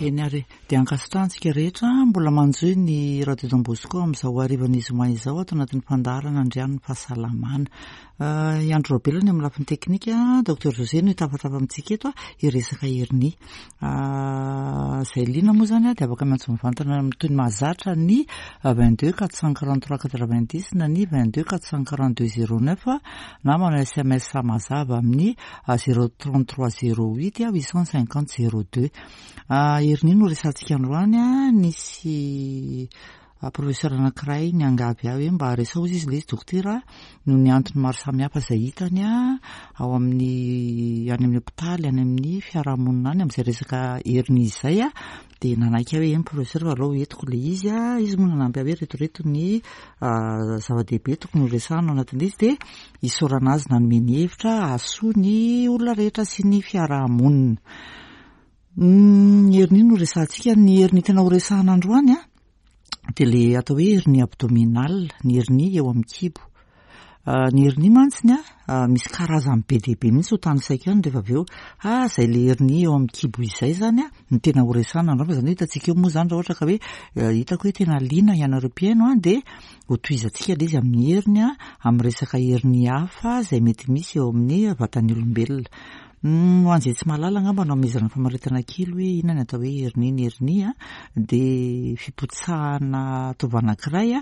Eny ary e. Dia ankasitrahantsika rehetra mbola manjohy ny Radio Don Bosco amin'izao harivan'ny zoma izao ato anatin'ny fandaharana Andrianin'ny Fahasalamana. I Andry Raobelina ny amin'ny lafiny teknika, Docteur José no hitafatafa amintsika eto hiresaka hernie. Izay liana moa izany dia afaka miantso mivantana amin'ny toy ny mahazatra ny 22 443 90 na ny 22 442 09 na manao sms mazava amin'ny 033 08 850 02. Hernie no resahantsika androany, nisy professeur anankiray niangavy ahy hoe mba resaho izy ilay izy dokotera noho ny antony maro samihafa izay hitany ao amin'ny any amin'ny hopitaly any amin'ny fiarahamonina any amin'izay resaka hernie izay dia nanaiky aho hoe eny professeur fa aleo entiko ilay izy izy moa nanampy ahy hoe reto reto ny zava-dehibe tokony ho resahana ao anatin'ilay izy dia isaorana azy nanome ny hevitra hahasoa ny olona rehetra sy ny fiarahamonina. Ny hernie no resahantsika, ny hernie tena ho resahana androany a dia le atao hoe hernie abdominale, ny hernie eo amin'ny kibo. Ny hernie mantsiny a misy karazany be dia be mihitsy ho tanisaiko ihany rehefa avy eo. Ah, izay le hernie eo amin'ny kibo izay zany a no tena ho resahana androany fa izany hoe hitantsika eo moa zany raha ohatra ka hoe hitako hoe tena liana ianareo mpihaino a dia ho tohizantsika ilay izy amin'ny hernie, amin'ny resaka hernie hafa izay mety misy eo amin'ny vatan'ny olombelona. Ho an'izay tsy mahalala angamba no hamehezana famaritana kely hoe inona ny atao hoe hernie. Ny hernie dia fipotsahana taova anankiray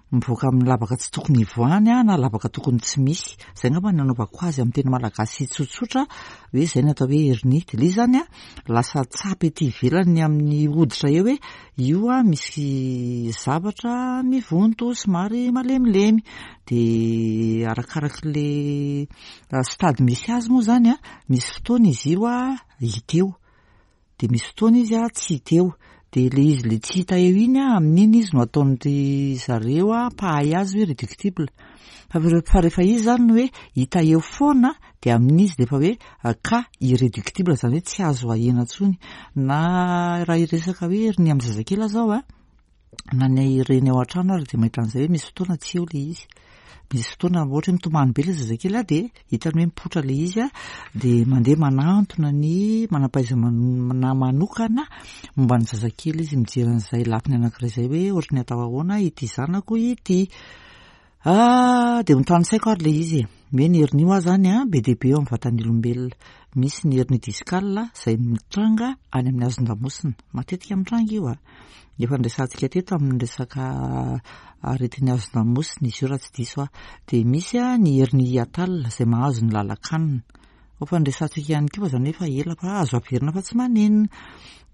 mivoaka amin'ny lavaka tsy tokony hivoahany na lavaka tokony tsy misy. Izay angamba no nanaovako azy amin'ny teny malagasy tsotsotra hoe izay ny atao hoe hernie. Dia ilay izy izany lasa tsapa ety ivelany amin'ny hoditra eo hoe io misy zavatra mivonto somary malemilemy. Dia arakarak'ilay Stade misy azy moa izany an, misy fotoana izy io hita eo, dia misy fotoana izy tsy hita eo, dia ilay izy ilay tsy hita eo iny an, amin'iny izy no ataon-dry zareo mpahay azy hoe réductible, fa rehefa izy izany no hoe hita eo foana dia amin'iny izy dia efa hoe cas irréductible, izany hoe tsy azo ahena intsony, na raha hiresaka hoe hernie amin'ny zazakely aho izao an, na ny reny ao an-trano ary dia mahita an'izay hoe misy fotoana tsy eo ilay izy. Misy fotoana ohatra hoe mitomany be ilay zazakely a, dia hitany hoe mipoitra ilay izy a, dia mandeha manantona ny manam-pahaizana manokana momba ny zazakely izy, mijery an'izay lafiny anankiray izay hoe ohatry ny atao ahoana ity zanako ity. Ah, dia notanisaiko ary ilay izy e. Hoe ny hernie hoa izany an, be dia be eo amin'ny vatan'ny olombelona. Misy ny hernie discale izay mitranga any amin'ny hazon-damosina. Matetika mitranga io an. Efa niresahantsika teto amin'ny resaka aretin'ny hazon-damosina izy io raha tsy diso aho. Dia misy ny hernie hiatale izay mahazo ny lalan-kanina. Efa niresahantsika ihany koa fa izany hoe efa ela fa azo averina fa tsy manenina.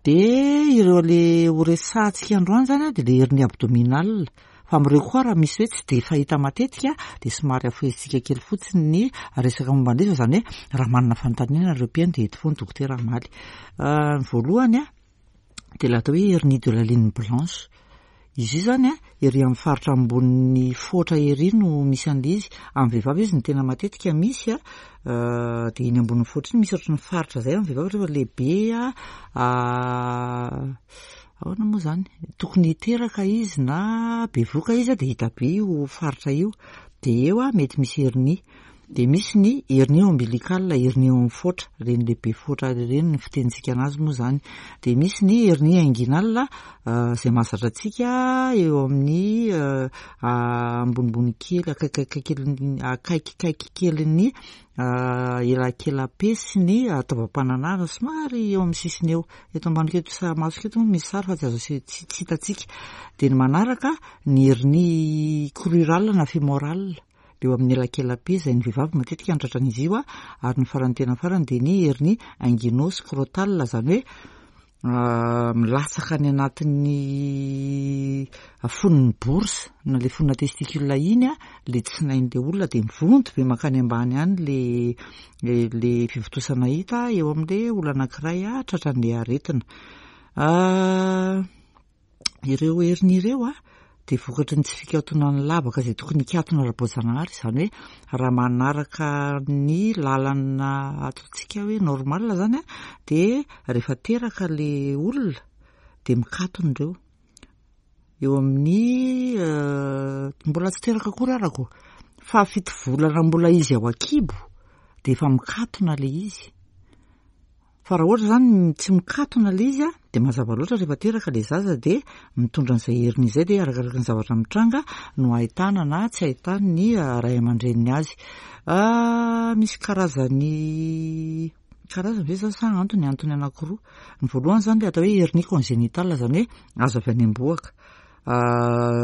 Dia ireo ilay horesahantsika androany izany an, dia ilay hernie abdominale. Fa amin'ireo koa raha misy hoe tsy dia fahita matetika dia somary afohezintsika kely fotsiny ny resaka momba an'ilay izy fa izany hoe raha manana fanontaniana ireo mpihaino dia eto foana dokotera hamaly. Ny voalohany dia ilay atao hoe hernie de la ligne blanche. Izy io izany ery amin'ny faritra ambonin'ny foatra ery no misy an'ilay izy. Amin'ny vehivavy izy no tena matetika misy dia iny ambonin'ny foatra iny misy ohatran'ny faritra izay amin'ny vehivavy rehefa lehibe Ahoana moa izany? Tokony hiteraka izy na bevoka izy dia hita be io faritra io. Dia eo mety misy hernie. Dia misy ny hernie ombilicale, hernie eo amin'ny foatra, ireny lehibe foatra ireny ny fitenintsika anazy moa izany. Dia misy ny hernie inguinale izay mahazatra antsika eo amin'ny ambonimbony kely, akaikikaiky akaikikaiky kelin'ny elakela-pe sy ny taovam-pananahana somary eo amin'ny sisiny eo. Eto ambany eto sa masoko eto moa misy sary fa tsy azo aseho, tsy tsy hitantsika. Dia ny manaraka ny hernie crurale na fémorale eo amin'ny elakela-pe izay ny vehivavy matetika no tratran'izy io ary ny farany tena farany dia ny hernie inguino-scrotale izany hoe milatsaka any anatin'ny fonon'ny bourse na le fonona testicule iny a, le tsinain'le olona dia mivonto be mankany ambany any le le fivontosana hita eo amin'le olona anankiray tratran'le aretina. Ireo heriny ireo dia vokatry ny tsy fikatonan'ny lavaka izay tokony hikatona ara-boajanahary, izany hoe raha manaraka ny lalana ataontsika hoe normal izany dia rehefa teraka ilay olona dia mikatona ireo. Eo amin'ny mbola tsy teraka akory arako, fahafito volana mbola izy ao an-kibo dia efa mikatona ilay izy. Fa raha ohatra izany tsy mikatona ilay izy a, Dia mazava loatra rehefa teraka ilay zaza dia mitondra an'izay hernie izay dia arakaraka ny zavatra mitranga no ahitana na tsy ahitan'ny ray aman-dreniny azy. Misy karazany karazany ve izany sa antony? Antony anankiroa. Ny voalohany izany ilay atao hoe hernie congénitale izany hoe azo avy any am-bohoka.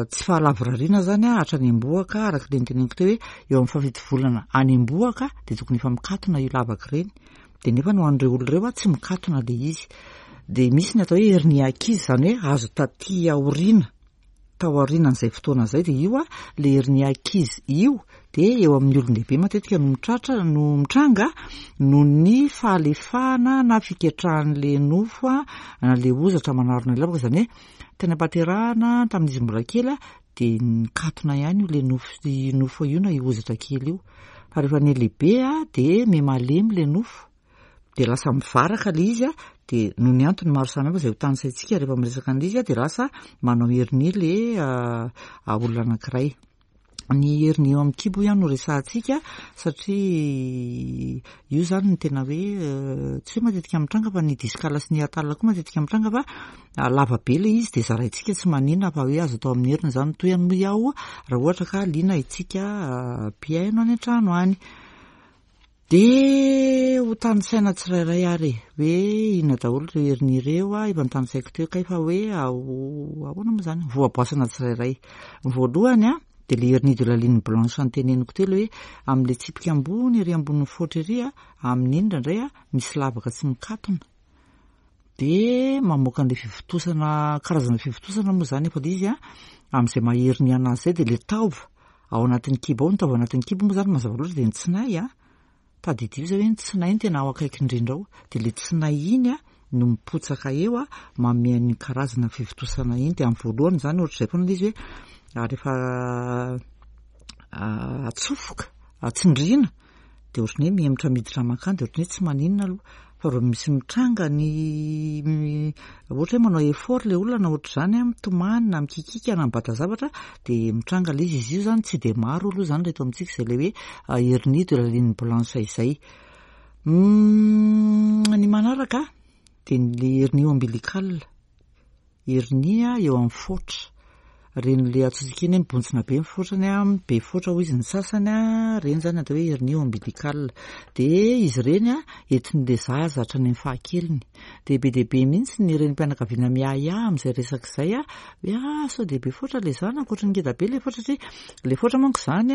Tsy fahalavorariana izany hatrany am-bohoka araka ilay noteneniko teo hoe eo amin'ny fahafito volana any am-bohoka dia tokony efa mikatona io lavaka ireny. Dia nefa ho an'ireo olona ireo tsy mikatona ilay izy. Dia misy ny atao hoe hernie acquise, izany hoe azo taty aoriana, tao aorianan'izay fotoana izay, dia io ilay hernie acquise io dia eo amin'ny olon-dehibe matetika no mitratra, no mitranga noho ny fahalefahana na fiketrahan'ilay nofo na ilay hozatra manarona ilay lavaka, izany hoe tany am-pahaterahana tamin'izy mbola kely dia nikatona ihany io ilay nofo, nofo io na io hozatra kely io. Fa rehefa nihalehibe dia miha-malemy ilay nofo, dia lasa mivaraka ilay izy, dia noho ny antony maro samihafa izay ho tanisaintsika rehefa miresaka an'ilay izy dia lasa manao hernie ilay olona anankiray. Ny hernie eo amin'ny kibo ihany no resahantsika satria io izany no tena hoe tsy hoe matetika mitranga fa ny discale sy ny hiatale koa matetika mitranga fa lava be ilay izy dia zaraintsika tsy maninona fa hoe azo atao amin'ny heriny izany. Tohiny moa iaho raha ohatra ka liana isika mpihaino any an-trano any. Dia ho tanisaina tsirairay ary e, hoe inona daholo ireo heriny ireo, efa notanisaiko teo kay fa hoe ahoana moa izany, voaboasana tsirairay. Ny voalohany a, dia ilay hernie de la ligne blanche noteneniko teo, ilay hoe amin'ilay tsipika ambony ery ambonin'ny foatra ery a, amin'iny indraindray a, misy lavaka tsy mikatona. Dia mamoaka an'ilay fivontosana, karazana fivontosana moa izany efa ilay izy a, amin'izay maha hernie anazy izay dia ilay taova ao anatin'ny kibo ao, ny taova anatin'ny kibo moa izany mazava loatra dia ny tsinay a, tadidio izay hoe ny tsinay no tena ao akaiky indrindra ao, dia ilay tsinay iny a no mipotsaka eo a, manome an'iny karazana fivontosana iny, dia amin'ny voalohany izany ohatr'izay foana ilay izy hoe rehefa atsofoka, tsindriana dia ohatran'ny hoe mihemotra miditra mankany dia ohatran'ny hoe tsy maninona aloha fa raha misy mitranga ny ohatra hoe manao effort ilay olona na ohatr'izany a, mitomany na mikikika na mibata zavatra dia mitranga ilay izy. Izy io izany tsy dia maro aloha izany reto amintsika izay ilay hoe hernie de la ligne blanche izay. Ny manaraka dia ny hernie ombilicale. Hernie eo amin'ny foatra. Ireny le antsointsika iny hoe mibontsina be ny foatrany, be foatra hoy izy ny sasany, ireny izany atao hoe hernie ombilicale. Dia izy ireny entin'ilay zaza hatrany amin'ny fahakeliny. Dia be dia be mihitsy ny renim-pianakaviana miahiahy amin'izay resaka izay hoe ah sao dia be foatra ilay zanako, ohatran'ny ngeda be ilay foatra satria ilay foatra manko izany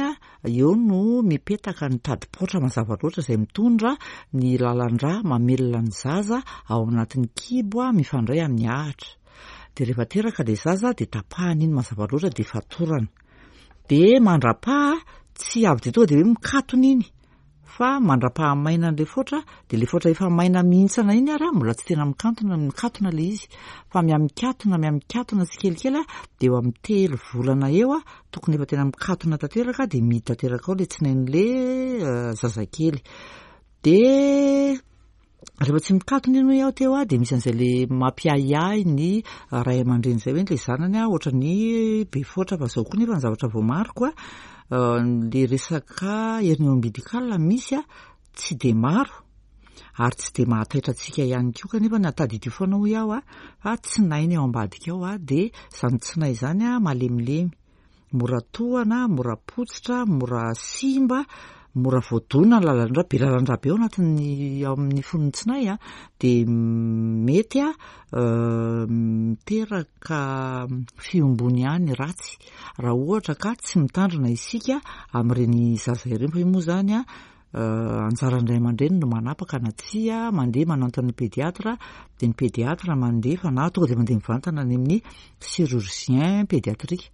eo no mipetaka ny tadipaotra mazava loatra izay mitondra ny lalan-drà mamelona ny zaza ao anatin'ny kibo mifandray amin'ny ahitra. Dia rehefa teraka ilay zaza dia tapahana iny mazava loatra dia fatorana. Dia mandra-paha tsy avy dia tonga dia hoe mikatona iny fa mandra-paha maina an'ilay foatra dia ilay foatra efa maina mihintsana iny ary mbola tsy tena mikantona, mikatona ilay izy fa mihamikatona, mihamikatona tsikelikely dia eo amin'ny 3 volana eo tokony efa tena mikatona tanteraka dia mihidy tanteraka ao ilay tsinain'ilay zazakely. Dia rehefa tsy mikatona iny hoy aho teo dia misy an'izay le mampiahiahy ny ray aman-dreny izay hoe ilay zanany ohatran'ny be foatra fa izao koa nefa ny zavatra voamariko le resaka hernie ombilicale misy tsy dia maro ary tsy dia mahataitra antsika ihany koa kanefa na tadidio foana hoy aho fa tsinay ny ao ambadika ao dia izany tsinay izany malemilemy, mora tohana, mora potsitra, mora simba, mora voadona ny lalan-drà, be lalan-drà be ao anatin'ny ao amin'ny fon'ny tsinay dia mety miteraka fihombony ihany ratsy raha ohatra ka tsy mitandrina isika amin'ireny zaza ireny fa io moa izany anjaran'ny ray aman-dreny no manapaka na tsia, mandeha manantona ny pédiatre, dia ny pédiatre mandefa na tonga dia mandeha mivantana any amin'ny chirurgien pédiatrique.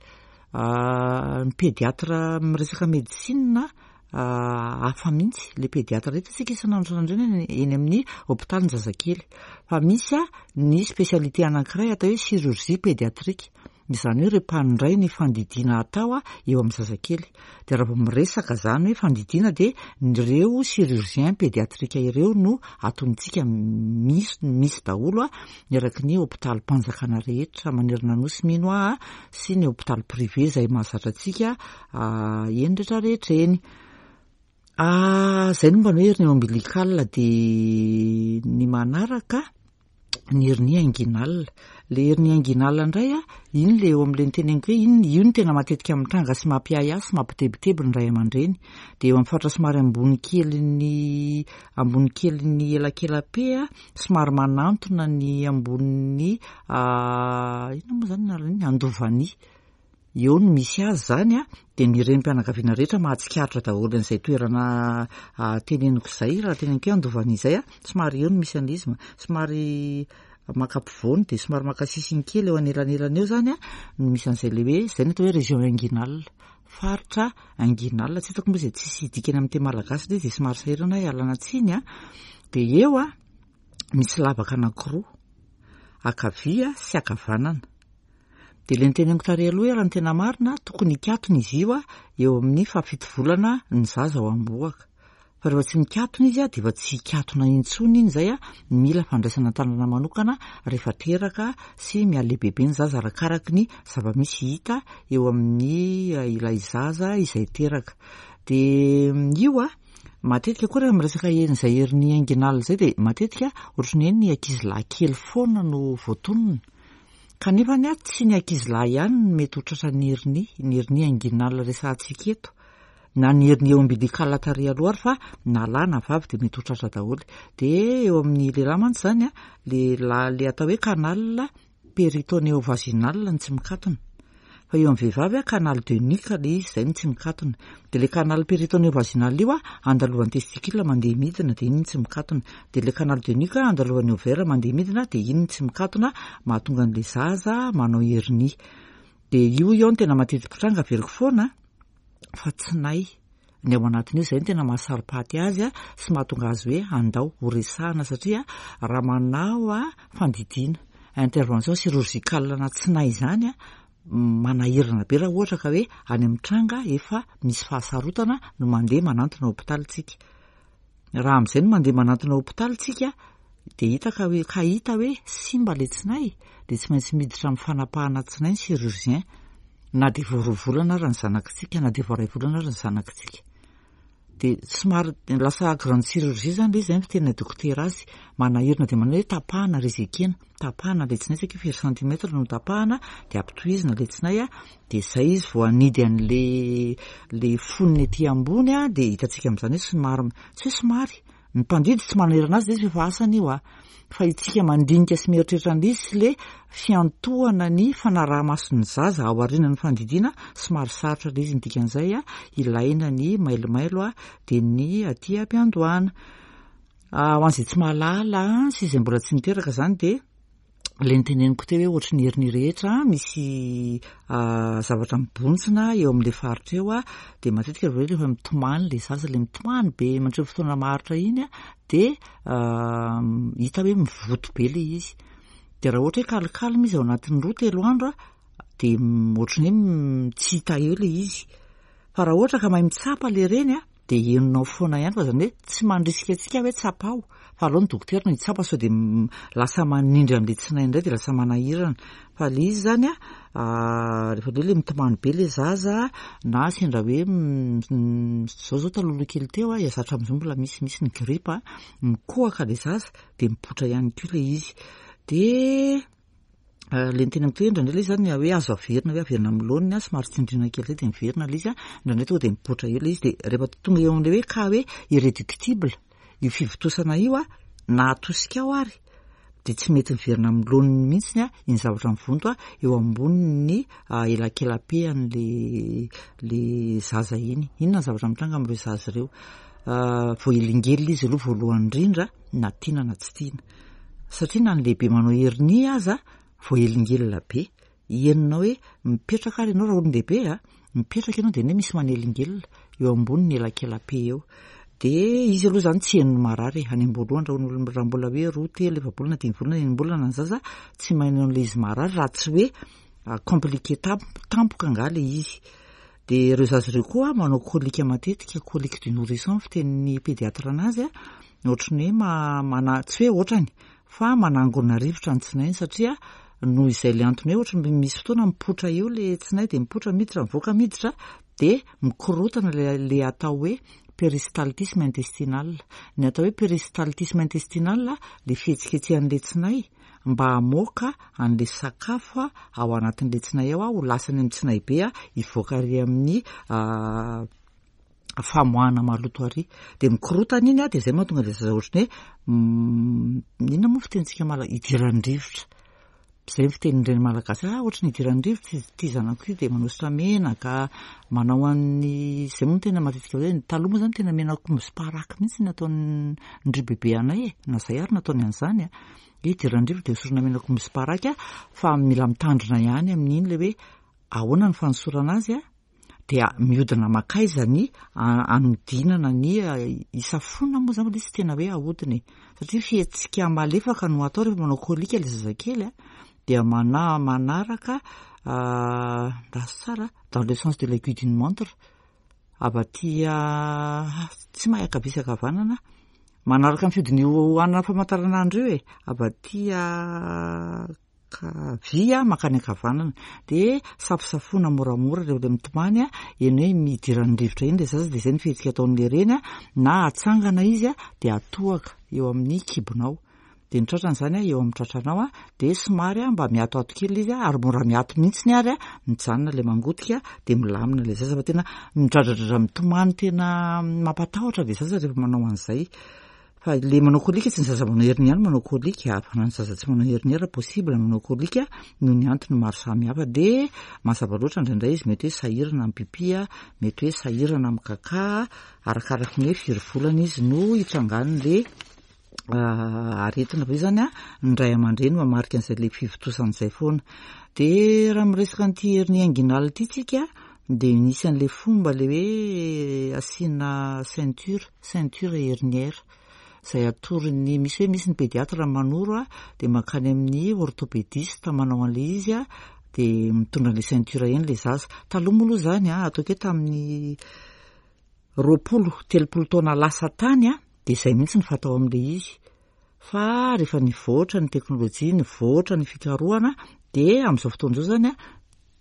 Ny pédiatre miresaka médecine hafa mihitsy, ilay pédiatre rehetra isika isan'andro isan'andro eny eny amin'ny hôpitaly ny zazakely. Fa misy ny spécialité anankiray atao hoe chirurgie pédiatrique. Izany hoe ireo mpandray ny fandidiana atao eo amin'ny zazakely. Dia raha vao miresaka izany hoe fandidiana dia ireo chirurgien pédiatrique ireo no atonintsika misy, misy daholo eraky ny hôpitalim-panjakana rehetra manerana ny Nosy mino aho sy ny hôpitaly privé izay mahazatra antsika eny rehetra rehetra eny. Izay no mba ny hoe hernie ombilicale dia ny manaraka. Ny hernie inguinale. Ilay hernie inguinale indray a, iny ilay eo amin'ilay noteneniko hoe iny, io no tena matetika mitranga sy mampiahiahy sy mampitebiteby ny ray aman-dreny. Dia eo amin'ny faritra somary ambony kelin'ny, ambony kelin'ny elakela-pe a, somary manantona ny ambonin'ny, inona moa izany anaran'iny, andovania. Eo no misy azy izany a, dia ny renim-pianakaviana rehetra mahatsikaritra daholo an'izay toerana teneniko izay, raha teneniko hoe Andovana izay a, somary eo no misy an'ilay izy, somary maka ampovoany dia somary maka sisiny kely eo anelanelany eo izany a, no misy an'izay ilay hoe, izay no atao hoe région inguinale, faritra inguinale, tsy hitako moa izay tsisy dikany amin'ny teny malagasy ilay izy dia somary sahirana aho ialana tsiny a, dia eo a misy lavaka anankiroa, ankavia sy ankavanana. Dia ilay noteneniko tary aloha hoe raha ny tena marina, tokony hikatona izy io eo amin'ny fahafito volana ny zaza ao am-bohoka. Fa rehefa tsy mikatona izy dia efa tsy hikatona intsony iny izay, mila fandraisana an-tanana manokana rehefa teraka sy mihalehibebe ny zaza arakaraky ny zava-misy hita eo amin'ny ilay zaza izay teraka. Dia io matetika koa rehefa miresaka izay hernie inguinale izay dia matetika ohatran'ny hoe ny ankizilahy kely foana no voatonona. Kanefa anie tsy ny ankizilahy ihany no mety ho tratran'ny hernie, ny hernie inguinale resahantsika eto, na ny hernie ombilicale tary aloha ary fa na lahy na vavy dia mety ho tratra daholo. Dia eo amin'ny lehilahy mantsy izany an, le la- le atao hoe canal péritonéo-vaginal no tsy mikatona. Fa eo amin'ny vehivavy a, canal de nuque le izy, izay no tsy mikatona. Dia le canal péritonéo-vaginal io a, andalovan'ny testicule mandeha midina dia iny no tsy mikatona. Dia le canal de nuque andalovan'ny ovaire mandeha midina dia iny no tsy mikatona, mahatonga an'le zaza manao hernie. Dia io eo no tena mateti-pitranga averiko foana fa tsy nay ny ao anatin'io, izay no tena mahasaro-paty azy sy mahatonga azy hoe andao ho resahana satria raha manao fandidiana intervention chirurgicale na tsy nay izany manahirana be raha ohatra ka hoe any amin'ny tranga efa misy fahasarotana no mandeha manantona hopitaly tsika. Raha amin'izay no mandeha manantona hopitaly tsika dia hita ka hoe ka hita hoe simba ilay tsinay dia tsy maintsy miditra amin'ny fanapahana tsinay ny chirurgien na dia vao roa volana ary ny zanakitsika na dia vao iray volana ary ny zanakitsika. Dia somary lasa grande chirurgie izany ilay izy, izay ny fiteninay dokotera azy, manahirana dia manahirana hoe tapahana réséquer-na, tapahana ilay tsinay saika firy centimètre no tapahana dia ampitohizina ilay tsinay dia izay izy vao hanidy an'ilay ilay fonony ety ambony dia hitantsika amin'izany hoe somary, tsy hoe somary, Ny mpandidy tsy manerana azy ilay izy fa efa asany io a. Fa itsika mandinika sy mieritreritra an'ilay izy sy ilay fiantohana ny fanaraha-maso ny zaza ao aorianan'ny fandidiana somary sarotra ilay izy ny dikan'izay a, ilaina ny mailomailo a, dia ny aty am-piandohana. Ho an'izay tsy mahalala sy izay mbola tsy niteraka izany dia Ilay noteneniko teo hoe ohatry ny heriny rehetra, misy zavatra mibontsina eo amin'ilay faritra eo dia matetika avy eo rehefa mitomany ilay zaza, ilay mitomany be mandritra ny fotoana maharitra iny dia hita hoe mivoto be ilay izy. Dia raha ohatra hoe calme izy ao anatin'ny roa telo andro dia ohatry ny hoe tsy hita eo ilay izy. Fa raha ohatra ka mahay mitsapa ilay reny dia henonao foana ihany fa zany hoe tsy mandrisika antsika hoe tsapao fa aleo ny dokotera no hitsapa sao dia lasa manindry an'ilay tsinay indray dia lasa manahirana fa ilay izy zany a rehefa le le mitomany be le zaza na sendra hoe zao zao talohaloha kely teo a zatra amin'izao mbola misy misy ny gripa mikohaka le zaza dia mipoitra ihany koa ilay izy dia Ilay niteneniko teo indraindray ilay izy zany hoe azo averina hoe averina amin'ny laoniny somary tsindriana kely izay dia miverina ilay izy an, indraindray tonga dia mipoitra eo ilay izy dia rehefa tonga eo amin'ilay hoe cas hoe irréductible io fivontosana io an, na atosika ao ary dia tsy mety miverina amin'ny laoniny mihitsy an iny zavatra mivonto an eo ambonin'ny elakela-pe an'ilay ilay zaza iny. Inona ny zavatra mitranga amin'ireo zaza ireo? Voahelingelina izy aloha voalohany indrindra na tiana na tsy tiana. Satria na ny lehibe manao hernie aza voahelingelina be. Henonao hoe mipetraka ary ianao raha olon-dehibe a, mipetraka ianao dia ny hoe misy manelingelina eo ambonin'ny elakela-pe eo. Dia izy aloha izany tsy henon'ny marary e. Any am-boalohany raha olona raha mbola hoe roa, telo, efa-bolana, dimy volana, enim-bolana ny zaza, tsy maheno an'ilay izy marary raha tsy hoe compliqué tampoka angaha ilay izy. Dia ireo zaza ireo koa manao colique matetika, colique du nourrisson fitenin'ny pédiatre anazy a, ohatran'ny hoe mana- tsy hoe ohatrany fa manangona rivotra ny tsinainy satria noho izay ilay antony hoe ohatran'ny misy fotoana mipoitra eo ilay tsinay dia mipoitra miditra mivoaka miditra dia mikorotana ilay ilay atao hoe péristaltisme intestinal. Ny atao hoe péristaltisme intestinal ilay fihetsiketsehan'ilay tsinay. mba hamoaka an'ilay sakafo ao anatin'ilay tsinay ao ho lasa any amin'ny tsinay be hivoaka ary amin'ny famoahana maloto ary. Dia mikorotana iny dia izay mahatonga ilay zaza ohatran'ny hoe inona moa fitenintsika malagasy idiran'ny rivotra. Izay ny fitenin'ny reny malagasy, ah ohatran'ny idiran'ny rivotra izy ity zanako ity dia manosotra menaka, manao an'ny izay moa no tena matetika hoe taloha moa izany tena menak'omby sy paraky mihitsy ny ataon'ny bebe anay e, na izay ary nataony an'izany a. Hoe idiran'ny rivotra dia hosorana menak'omby sy paraky fa mila mitandrina ihany amin'iny ilay hoe ahoana ny fanosorana azy a. dia mihodina mankaiza ny anodinana ny hisafoana moa zany ilay izy tena hoe ahodina e satria fihetsika malefaka no atao rehefa manao kolika ilay zazakely a dia mana manaraka raha tsara dans le sens de l'aiguille d'une montre avy aty tsy mahay ankavia sy ankavanana manaraka ny fihodin'io anana famantaranandro io e avy aty ankavia mankany ankavanana dia safosafoana moramora rehefa ilay mitomany a, eny hoe midiran'ny rivotra iny ilay zaza dia izay ny fihetsika ataon'ilay reny a, na atsangana izy a dia atohaka eo amin'ny kibonao, dia ny tratrany izany a eo amin'ny tratranao a dia somary a mba miatoato kely ilay izy a ary mora miato mihitsiny ary a, mijanona ilay mangotika dia milamina ilay zaza fa tena midradradradra mitomany tena mampatahotra ilay zaza rehefa manao an'izay. Fa le manao colique tsy ny zaza manao hernie ihany manao colique fa na ny zaza tsy manao hernie ara possible manao colique noho ny antony maro samihafa de mazava loatra indraindray izy mety hoe sahirana amin'ny pipi mety hoe sahirana amin'ny kaka arakaraky ny hoe firy volana izy no hitrangan'le aretina fa io zany a ny ray aman-dreny mamarika an'izay le fivontosana izay foana de raha miresaka an'ity hernie inguinale ity tsika de misy an'le fomba le hoe asiana ceinture ceinture herniaire izay atoron'ny misy hoe misy ny pédiatre manoro a dia mankany amin'ny orthopédiste manao an'ilay izy a dia mitondra an'ilay ceinture eny ilay zaza. Taloha moa aloha izany a ataoko hoe tamin'ny 20 30 taona lasa tany a dia izay mihitsy ny fatao amin'ilay izy. Fa rehefa nivoatra ny teknolojia, nivoatra ny fikarohana dia amin'izao fotoana izao izany a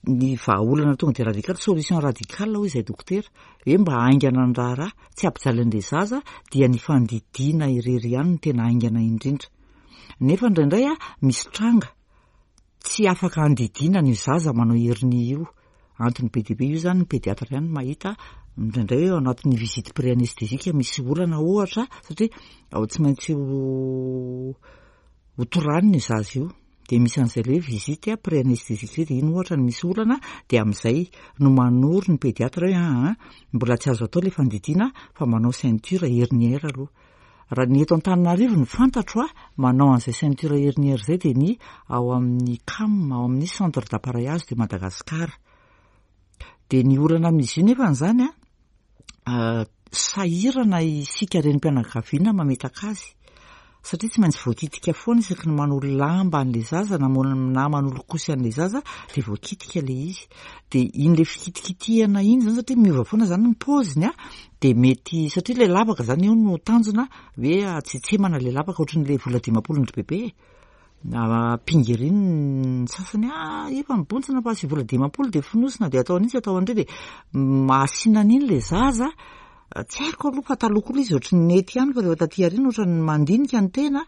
ny vahaolana tonga dia radical, solution radicale hoy izay dokotera, hoe mba haingana ny raharaha, tsy hampijaly an'ilay zaza dia ny fandidiana irery ihany no tena haingana indrindra. Nefa indraindray a misy tranga tsy afaka andidiana an'io zaza manao hernie io. Antony be dia be io izany ny pédiatre ihany no mahita indraindray hoe ao anatin'ny visite pré-anesthésique misy olana ohatra satria ao tsy maintsy ho ho toranina io zaza io. Dia misy an'izay ilay hoe visite pré-anesthésique izay dia iny ohatra no misy olana dia amin'izay no manoro ny pédiatre hoe aa mbola tsy azo atao ilay fandidiana fa manao ceinture herniaire aloha. Raha ny eto Antananarivo no fantatro a, manao an'izay ceinture herniaire izay dia ny ao amin'ny CAM, ao amin'ny Centre d'appareillage de Madagascar. Dia ny olana amin'izy io nefany izany a, sahirana isika renim-pianakaviana mametaka azy satria tsy maintsy voakitika foana isaky ny manolo lamba an'ilay zaza na na manolo kosy an'ilay zaza dia voakitika ilay izy. Dia iny ilay fikitikitihana iny izany satria miova foana izany ny paoziny a, dia mety satria ilay lavaka izany eo no tanjona hoe hatsetsemana ilay lavaka ohatran'ilay vola dimampolon-dry bebe e. Ampingeriny ny sasany, ah efa mibontsina fa asio vola 50 dia fonosina dia atao an'itsy atao an'ireo dia mahasina an'iny ilay zaza. Tsy haiko aloha fa taloha koa ilay izy ohatran'ny nety ihany fa rehefa taty aoriana ohatran'ny mandinika ny tena,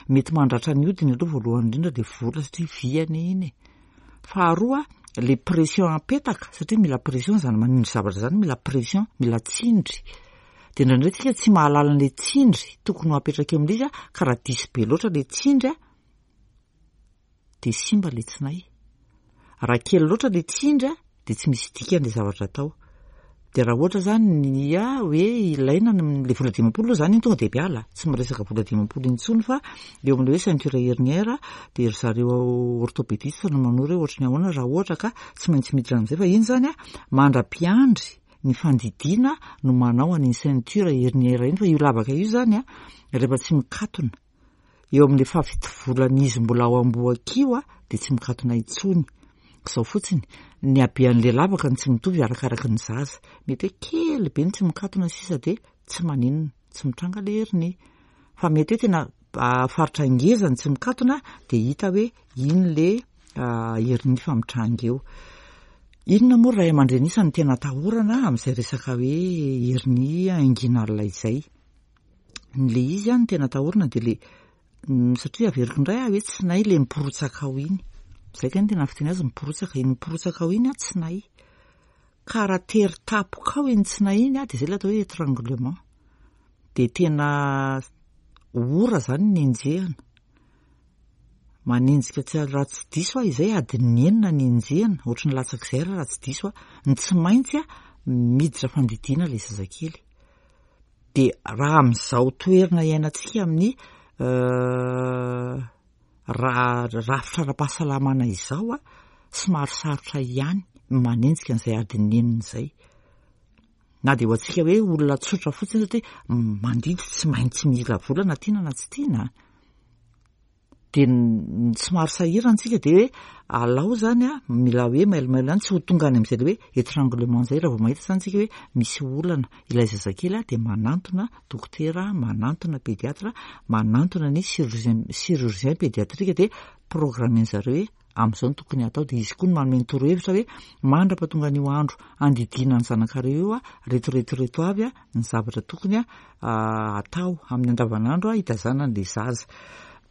mety mandratra ny hodiny aloha voalohany indrindra dia vola satria vy anie iny e. Faharoa, le pression apetaka satria mila pression zany manindry zavatra zany mila pression, mila tsindry. Dia indraindray tsika tsy mahalala an'ilay tsindry tokony ho apetraka eo amin'ilay izy ka raha diso be loatra ilay tsindry dia simba ilay tsinay. Raha kely loatra ilay tsindry dia tsy misy dikany ilay zavatra atao. Dia raha ohatra izany ny hoe ilaina ny ilay vola 50 aloha izany iny tonga dia miala, tsy miresaka vola 50 intsony fa eo amin'ilay hoe ceinture herniaire dia ry zareo orthopédiste no manoro hoe ohatry ny ahoana raha ohatra ka tsy maintsy miditra amin'izay fa iny izany mandra-piandry ny fandidiana no manao an'iny ceinture herniaire iny fa io lavaka io izany rehefa tsy mikatona eo amin'ilay fahafito volan'izy mbola ao am-bohoka io dia tsy mikatona intsony. Izao fotsiny, ny habean'ilay lavaka no tsy mitovy arakaraky ny zaza. Mety hoe kely be ny tsy mikatona sisa dia tsy maninona, tsy mitranga ilay hernie. Fa mety hoe tena faritra ngeza ny tsy mikatona dia hita hoe iny ilay hernie fa mitranga eo. Inona moa ry ray aman-dreny isany no tena atahorana amin'izay resaka hoe hernie inguinale izay? Ny le izy no tena atahorana dia le Satria averiko indray aho hoe tsinay le miporotsaka ao iny. Zay kay no tena fiteny azy miporotsaka, iny miporotsaka ao iny an tsinay. Ka raha tery tapoka ao iny tsinay iny an, dia zay ilay atao hoe étranglement. Dia tena ora zany ny enjehina. Manenjika tsy raha tsy diso aho izay adin'ny enina ny enjehina, ohatry ny latsak'izay ary raha tsy diso aho. Ny tsy maintsy miditra fandidiana ilay zazakely. Dia raha amin'izao toerana iainantsika amin'ny raha rafitra ara-pahasalamana izao a, somary sarotra ihany ny manenjika an'izay adin'ny enina izay. Na dia ho antsika hoe olona tsotra fotsiny satria mandidy tsy maintsy mila vola na tiana na tsy tiana. Dia somary sahirana tsika dia hoe alao zany a, mila hoe mailomailo ihany tsy ho tonga any amin'izay le hoe étranglement zay raha vao mahita zany tsika hoe misy olana ilay zazakely a dia manantona dokotera, manantona pédiatre, manantona ny chirurgien, chirurgien pédiatrique dia programmer-ny zareo hoe amin'izao no tokony hatao dia izy koa no manome ny torohevitra hoe mandra-pahatonga an'io andro andidiana ny zanakareo io a, reto reto reto avy a ny zavatra tokony atao amin'ny andavanandro hitazana an'ilay zaza.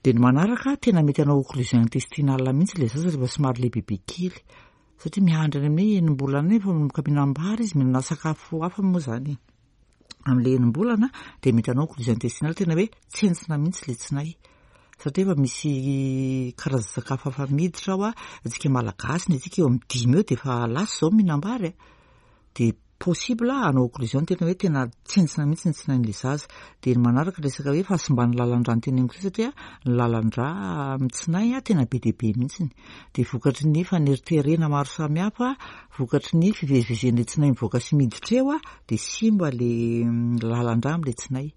Dia ny manaraka, tena mety hanao occlusion intestinale mihitsy ilay zaza rehefa somary lehibebe kely. Satria miandry any amin'ny enim-bolana any efa manomboka mihinam-bary izy, mihinana sakafo hafa moa izany e. Amin'ilay enim-bolana dia mety hanao occlusion intestinale tena hoe tsentsina mihitsy ilay tsinay. Satria efa misy karazan-tsakafo hafa miditra ao, antsika Malagasy ny antsika eo amin'ny dimy eo dia efa lasa izao mihinam-bary a. Dia possible hanao occlusion tena hoe tena tsentsina mihitsy ny tsinain'ilay zaza. Dia ny manaraka resaka hoe fahasimban'ny lalan-drà no teneniko teo satria ny lalan-drà amin'ny tsinay tena be dia be mihitsy. Dia vokatry ny faneriterena maro samihafa, vokatry ny fivezivezen'ilay tsinay mivoaka sy miditra eo dia simba ilay lalan-drà amin'ilay tsinay.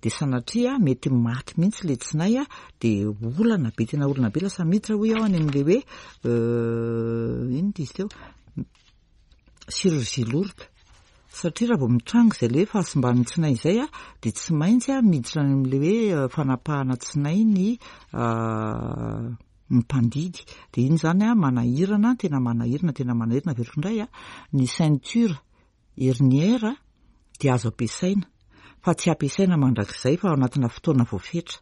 Dia sanatria mety maty mihitsy ilay tsinay dia olana be, tena olana be, lasa miditra hoy aho any amin'ilay hoe inona izy teo? chirurgie lourde satria raha vao mitranga izay ilay hoe fahasimban'ny tsinay izay dia tsy maintsy miditra any amin'ilay hoe fanapahana tsinay ny ny mpandidy dia iny izany manahirana tena manahirana tena manahirana averiko indray ny ceinture herniaire dia azo ampiasaina fa tsy ampiasaina mandrakizay fa ao anatina fotoana voafetra.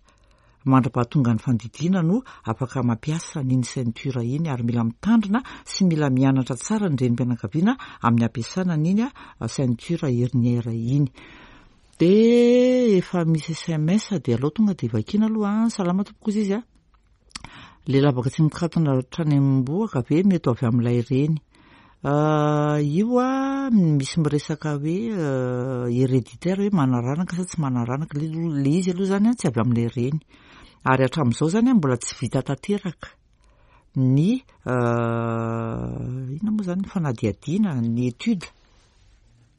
Mandra-pahatonga ny fandidiana no afaka mampiasa an'iny ceinture iny ary mila mitandrina sy mila mianatra tsara ny renim-pianakaviana amin'ny ampiasana an'iny ceinture herniaire iny. Dia efa misy sms dia aleo tonga dia vakiana aloha an. Salama tompoko ozy izy a. Le lavaka tsy mikatona hatrany am-bohoka ve mety ho avy amin'ilay reny? Io a misy miresaka hoe héréditaire hoe manaranaka sa tsy manaranaka, le izy aloha zany tsy avy amin'ilay reny. Ary hatramin'izao zany mbola tsy vita tanteraka ny inona moa zany fanadihadiana, ny étude.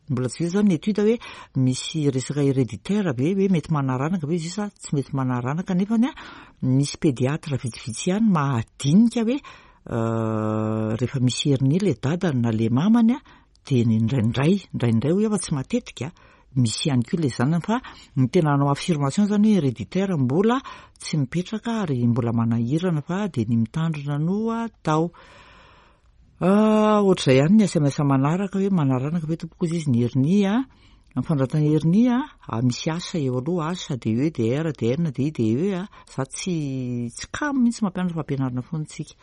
Mbola tsy vita zany ny étude hoe misy resaka héréditaire ve hoe mety manaranaka ve izy io sa tsy mety manaranaka nefany a misy pédiatre vitsivitsy ihany mahadinika hoe rehefa misy hernie le dadany na le mamany a de indraindray indraindray hoy aho fa tsy matetika misy ihany koa le zanany fa ny tena hanao affirmation zany hoe héréditaire mbola tsy mipetraka ary mbola manahirana fa de ny mitandrina no atao. Ohatr'izay ihany ny sms manaraka hoe manaranaka ve tompoko ozy izy ny hernie a, ny fanoratana hernie a, misy H eo aloha, H de E de R de N de I de E a, za tsy tsy kamo mihitsy mampianatra fa ampianarina foana tsika.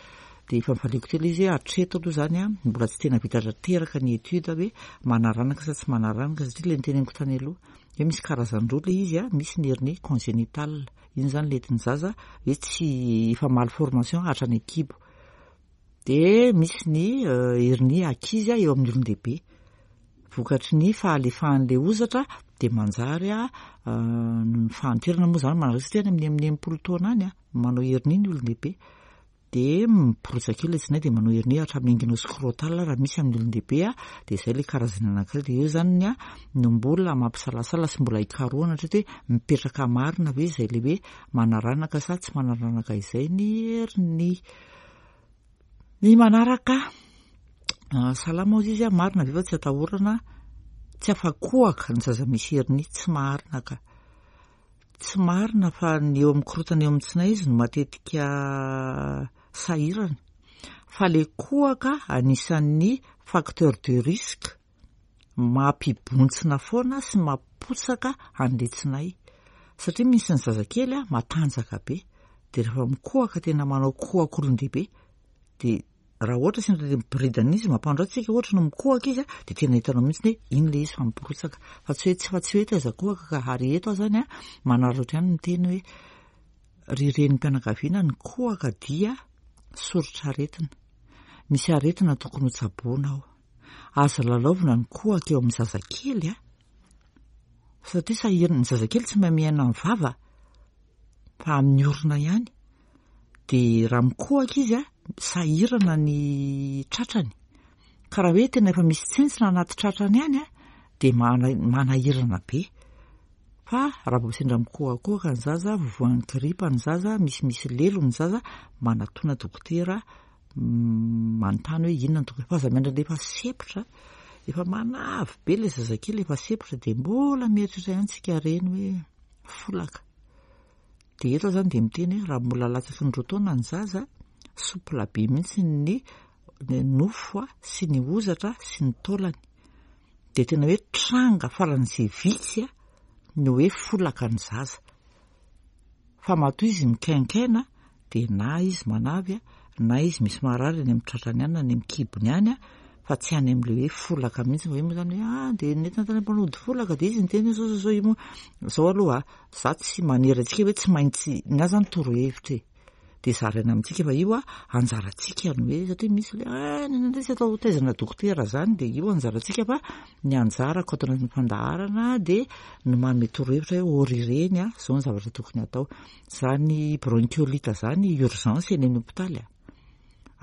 Dia efa nivaliako teo ilay izy hoe hatreto aloha izany a, mbola tsy tena vita tanteraka ny étude hoe manaranaka sa tsy manaranaka satria ilay noteneniko tany aloha hoe misy karazany roa ilay izy a, misy ny hernie congénitale, iny izany ilay entin'ny zaza hoe tsy efa malformation hatrany an-kibo. Dia misy ny hernie ankizy eo amin'ny olon-dehibe. Vokatry ny fahalefahan'ilay hozatra dia manjary noho ny fahanterana moa izany manaraka satria any amin'ny 60 taona any manao hernie ny olon-dehibe. Dia miporitsaka eo ilay tsinay dia manao hernie hatramin'ny inguinoscrotal raha misy amin'ny olon-dehibe dia izay ilay karazany anankiray. Dia eo izany ny no mbola mampisalasala sy mbola hikarohana hatreto hoe mipetraka marina ve izay ilay hoe manaranaka sa tsy manaranaka izay ny hernie. Ny manaraka, salama hozy izy, marina ve fa tsy atahorana, tsy afa-kohaka ny zaza misy hernie, tsy marina ka. Tsy marina fa ny eo amin'ny korontana eo amin'ny tsinay izy no matetika sahirana. Fa le kohaka anisan'ny facteur de risque mampibontsina foana sy mampotsaka an'ilay tsinay. Satria misy ny zazakely a, matanjaka be, dia rehefa mikohaka tena manao kohak'olon-dehibe, dia raha ohatra sendra ilay miboridana izy mampandro antsika ohatra no mikohaka izy a, dia tena hitanao mihitsy hoe iny ilay izy fa miborotsaka. Fa tsy hoe tsy fa tsy hoe taiza kohaka ka, ary eto aho izany a, manararaotra ihany miteny hoe ry renim-pianakaviana ny kohaka dia soritr'aretina. Misy aretina tokony hotsaboina ao. Aza lalaovina ny kohaka eo amin'ny zazakely a. Satria sahirana, ny zazakely tsy mahay miaina amin'ny vava fa amin'ny orona ihany. Dia raha mikohaka izy a, sahirana ny tratrany. Ka raha hoe tena efa misy tsentsina anaty tratrany any a, dia manahirana be. Fa raha vao sendra mikohakohaka ny zaza, vovoan'ny gripa ny zaza, misimisy lelo ny zaza, manatona dokotera manontany hoe inona no tokony fa aza miandry an'ilay efa sempotra, efa manavy be ilay zazakely efa sempotra dia mbola mieritreritra ihany tsika reny hoe folaka. Dia eto aho izany dia miteny hoe raha mbola latsaky ny 2 taona ny zaza, souple be mihitsy ny nofo sy ny hozatra sy ny taolany. Dia tena hoe tranga faran'izay vitsy ny hoe folaka ny zaza. Fa matoa izy mikainkaina dia na izy manavy na izy misy marary any amin'ny tratrany any na any amin'ny kibony any fa tsy any amin'ilay hoe folaka mihitsy. Fa io moa izany hoe ah dia nentina tany am-panody folaka dia izy niteny hoe zao zao zao io moa. Zao aloha za tsy manery antsika hoe tsy maintsy, ny ahy izany torohevitra e. Dia zaraina amintsika fa io anjarantsika ny hoe satria misy ilay ah ny anay tsy atao taizana dokotera izany dia io anjarantsika fa ny anjarako ato anatin'ny fandaharana dia ny manome torohevitra hoe ô ry reny a, izao ny zavatra tokony hatao. Izany bronchiolite izany urgence eny amin'ny hopitaly a.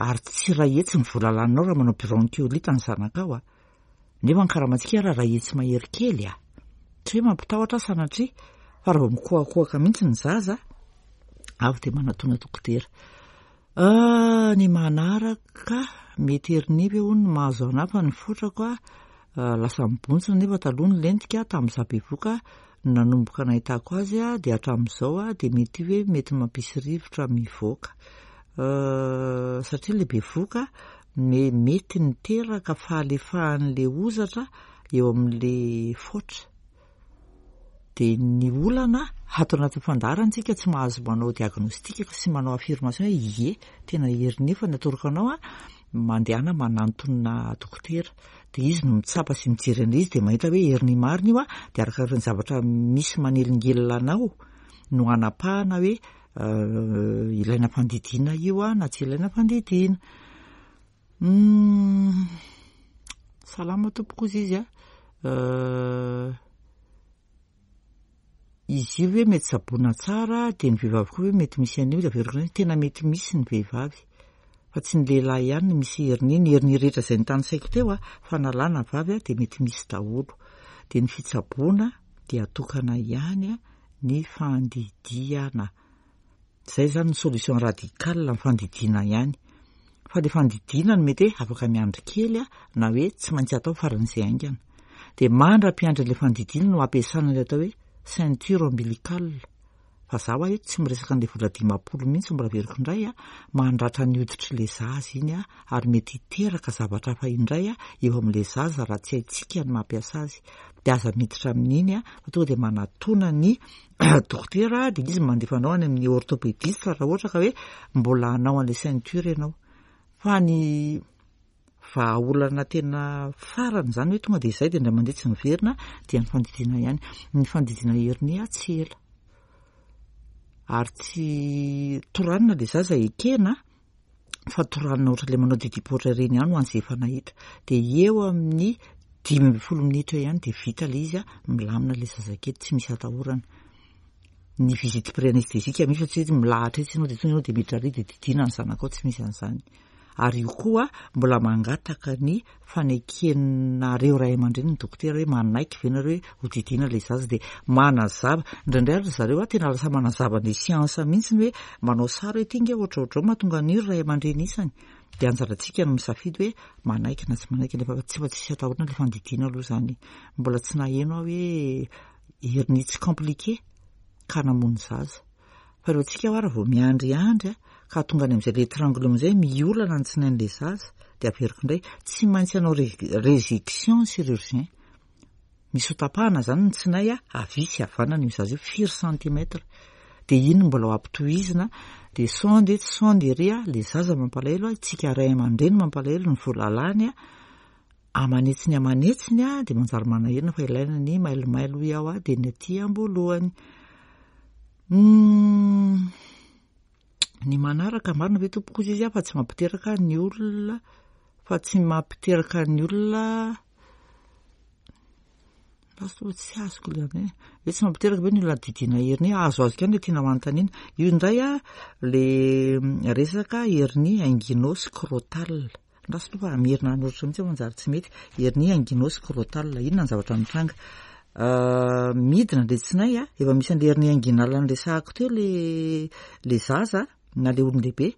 Ary tsy iray hetsy ny vola laninao raha manao bronchiolite ny zanakao a. Nefa ny karamantsika ary iray hetsy mahery kely a. Tsy hoe mampitahotra aho sanatria, fa raha vao mikohakohaka mihitsy ny zaza, avy dia manatona dokotera. Ah, ny manaraka, mety hernie ve hono no mahazo anà fa ny fotrako a, lasa mibontsina nefa taloha nilentika tamin'izaho bevoka no nanomboka nahitako azy dia hatramin'izao dia mety hoe mety mampisy rivotra mivoaka. Satria ilay bevoka mety niteraka fahalefahan'ilay hozatra eo amin'ilay foatra. Dia ny olana ato anatin'ny fandaharana isika tsy mahazo manao diagnostic sy manao affirmation hoe ie, tena hernie fa ny atoroko anao a, mandehana manantona dokotera. Dia izy no mitsapa sy mijery an'ilay izy dia mahita hoe hernie marina io a, dia arakaraka ny zavatra misy manelingelina anao no hanapahana hoe ilaina fandidiana io a na tsy ilaina fandidiana. Salama tompoko ozy izy a. Izy io ve mety tsaboina tsara dia ny vehivavy koa ve mety misy an'io dia averiko indray tena mety misy ny vehivavy fa tsy ny lehilahy ihany no misy hernie, ny hernie rehetra izay notanisaiko teo a, fa na lahy na vavy a dia mety misy daholo. Dia ny fitsaboana dia atokana ihany ny fandidiana. Izay izany ny solution radicale ny fandidiana ihany. Fa ilay fandidiana no mety hoe afaka miandry kely na hoe tsy maintsy atao faran'izay haingana. Dia mandra-piandry an'ilay fandidiana no ampiasana ilay atao hoe ceinture ombilicale. Fa za hoa eto tsy miresaka an'ilay vola 50 mihitsy mbola averiko indray a, mandratra ny hoditr'ilay zaza iny a, ary mety hiteraka zavatra hafa indray a, eo amin'ilay zaza raha tsy haintsika ny mampiasa azy. Dia aza miditra amin'iny a, fa tonga dia manatona ny dokotera dia izy mandefa anao any amin'ny orthopédiste raha ohatra ka hoe mbola hanao an'ilay ceinture ianao. Fa ny vahaolana tena farany izany hoe tonga dia izay dia indray mandeha tsy miverina dia ny fandidiana ihany. Ny fandidiana hernie tsy ela. Ary tsy toranina ilay zaza ekena fa toranina ohatran'ilay manao didim-poatra ireny ihany ho an'izay efa nahita. Dia eo amin'ny 15 minitra eo ihany dia vita ilay izy, milamina ilay zazakely, tsy misy atahorana. Ny visite pré-anesthésique misy fa tsy hoe milahatra etsy ianao dia tonga ianao dia miditra ary dia didiana ny zanakao, tsy misy an'izany. Ary io koa mbola mangataka ny fanekenareo ray aman-dreny ny dokotera hoe manaiky ve nareo hoe ho didiana ilay zaza dia manazava. Indraindray ary ry zareo a tena lasa manazava ny siansa mihitsy ny hoe manao sary hoe ity nge ohatrohatrao mahatonga an'io ry ray aman-dreny isany. Dia anjarantsika no misafidy hoe manaiky na tsy manaiky nefa tsy fa tsisy atahorana ilay fandidiana aloha izany. Mbola tsy naheno aho hoe hernie tsy compliqué ka namono zaza. Fa ireo antsika hoa raha vao miandriandry a, ka tonga any amin'izay l'étranglement izay, miolana ny tsinain'ilay zaza, dia averiko indray, tsy maintsy hanao résection ny chirurgien. Misy ho tapahana izany ny tsinay havia sy havanana io zaza io, firy centimètre. Dia iny no mbola ho ampitohizina, dia sonde etsy sonde ery, ilay zaza mampalahelo, isika ray aman-dreny mampalahelo, ny vola lany aman'hetsiny aman'hetsiny dia manjary manahirana fa ilaina ny mailomailo hoy aho dia ny aty am-boalohany. Ny manaraka marina ve tompoko hozy izy fa tsy mampiteraka ny olona fa tsy mampiteraka ny olona Lasa toa tsy azoko ilay hoe hoe tsy mampiteraka ve ny olona didiana hernie? Azoazoko ihany ilay tianao hanontaniana. Io indray a, le resaka hernie inguino-scrotal. Andraso aloha fa hamerina hanoratra mihitsy aho manjary tsy mety. Hernie inguino-scrotal, inona ny zavatra mitranga? Midina ilay tsinay a, efa misy an'ilay hernie inguinale noresahako teo le le zaza na le olon-dehibe,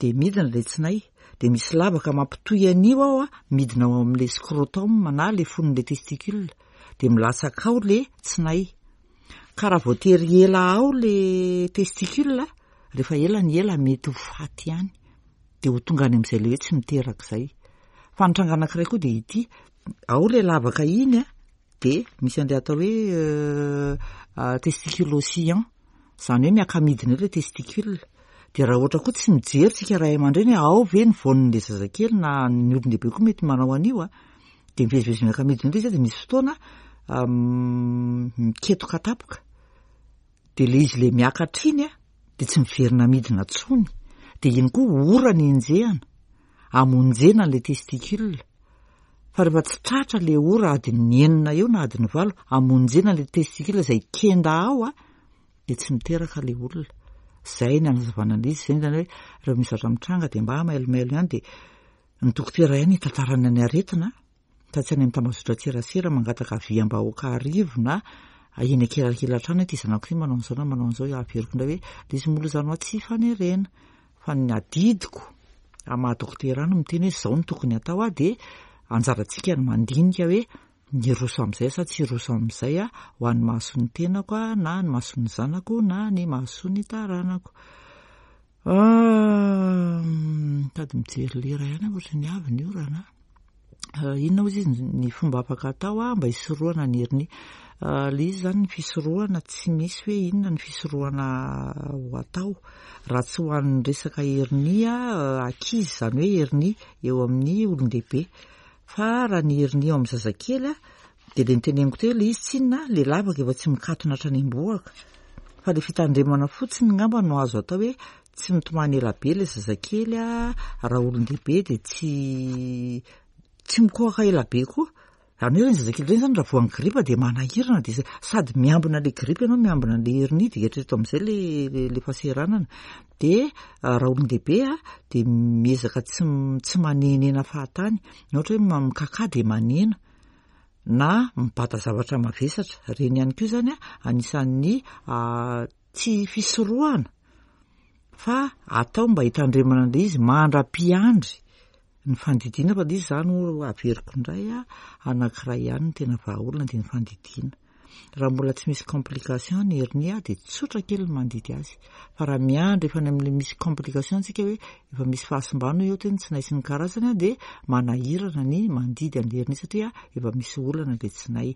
dia midina ilay tsinay, dia misy lavaka mampitohy an'io ao a, midina ao amin'ilay scrotum na ilay fonon'ilay testicule, dia milatsaka ao ilay tsinay. Ka raha voatery ela ao ilay testicule, rehefa ela ny ela mety ho faty ihany. Dia ho tonga any amin'izay ilay hoe tsy miteraka izay. Fa ny tranga anankiray koa dia ity, ao ilay lavaka iny a, dia misy an'ilay atao hoe testicule oscillant, izany hoe miaka-midina eo ilay testicule. Dia raha ohatra koa tsy mijery tsika ray aman-dreny hoe ao ve ny voan'ilay zazakely na ny olon-dehibe koa mety manao an'io a, dia mivezivezy miaka-midina eo ilay izy dia misy fotoana miketoka tampoka. Dia ilay izy ilay miakatra iny a, dia tsy miverina midina intsony. Dia iny koa ora ny enjehana, hamonjena an'ilay testicule. Fa rehefa tsy tratra ilay ora adin'ny enina eo na adin'ny valo, hamonjena an'ilay testicule izay kenda ao a, dia tsy miteraka ilay olona. Izay ny hanazavana an'ilay izy, izay izany hoe rehefa misy zavatra mitranga dia mba mailomailo ihany dia ny dokotera ihany hitantarana ny aretina. Fa tsy any amin'ny tambazotran-tserasera mangataka aviam-bahoaka arivo na eny ankilankilan-trano hoe ity zanako ity manao an'izao na manao an'izao, averiko indray hoe ilay izy mbola izany hoa tsy ifanerena fa ny adidiko amin'ny maha dokotera ahy no miteny hoe izao no tokony hatao aho dia anjarantsika ny mandinika hoe hiroso amin'izay sa tsy hiroso amin'izay aho ho an'ny mahasoa ny tenako na ny mahasoa ny zanako na ny mahasoa ny taranako. Mitady mijery lera ihany aho ohatran'ny avy ny orana. Inona hozy izy ny fomba afaka atao mba hisorohana ny hernie? Ilay izy izany ny fisorohana tsy misy hoe inona ny fisorohana ho atao raha tsy ho an'ny resaka hernie ankizy izany hoe hernie eo amin'ny olon-dehibe. Fa raha ny hernie eo amin'ny zazakely Dia ilay noteneniko teo ilay izy tsinona, ilay lavaka efa tsy mikatona hatrany am-bohoka. Fa ilay fitandremana fotsiny ngamba no azo atao hoe tsy mitomany ela be ilay zazakely a, raha olon-dehibe dia tsy tsy mikohaka ela be koa. Izany hoe ireny zazakely ireny izany raha voan'ny gripa dia manahirana dia sady miambina ilay gripa ianao miambina an'ilay hernie dia eritrereto amin'izay ilay ilay fahasahiranana. Dia raha olon-dehibe a, dia miezaka tsy tsy manenena fahatany. Na ohatra hoe mikakà dia manena. na mibata zavatra mavesatra, ireny ihany koa izany anisan'ny tsy fisorohana fa atao mba hitandremana an'ilay izy mandra-piandry ny fandidiana fa ilay izy izany averiko indray anankiray ihany ny tena vahaolana dia ny fandidiana. Raha mbola tsy misy complication ny hernie dia tsotra kely ny mandidy azy. Fa raha miandry efa any amin'ilay misy complication tsika hoe efa misy fahasimbana eo teny tsinay sy ny karazany dia manahirana ny mandidy an'ilay hernie satria efa misy olana ilay tsinay.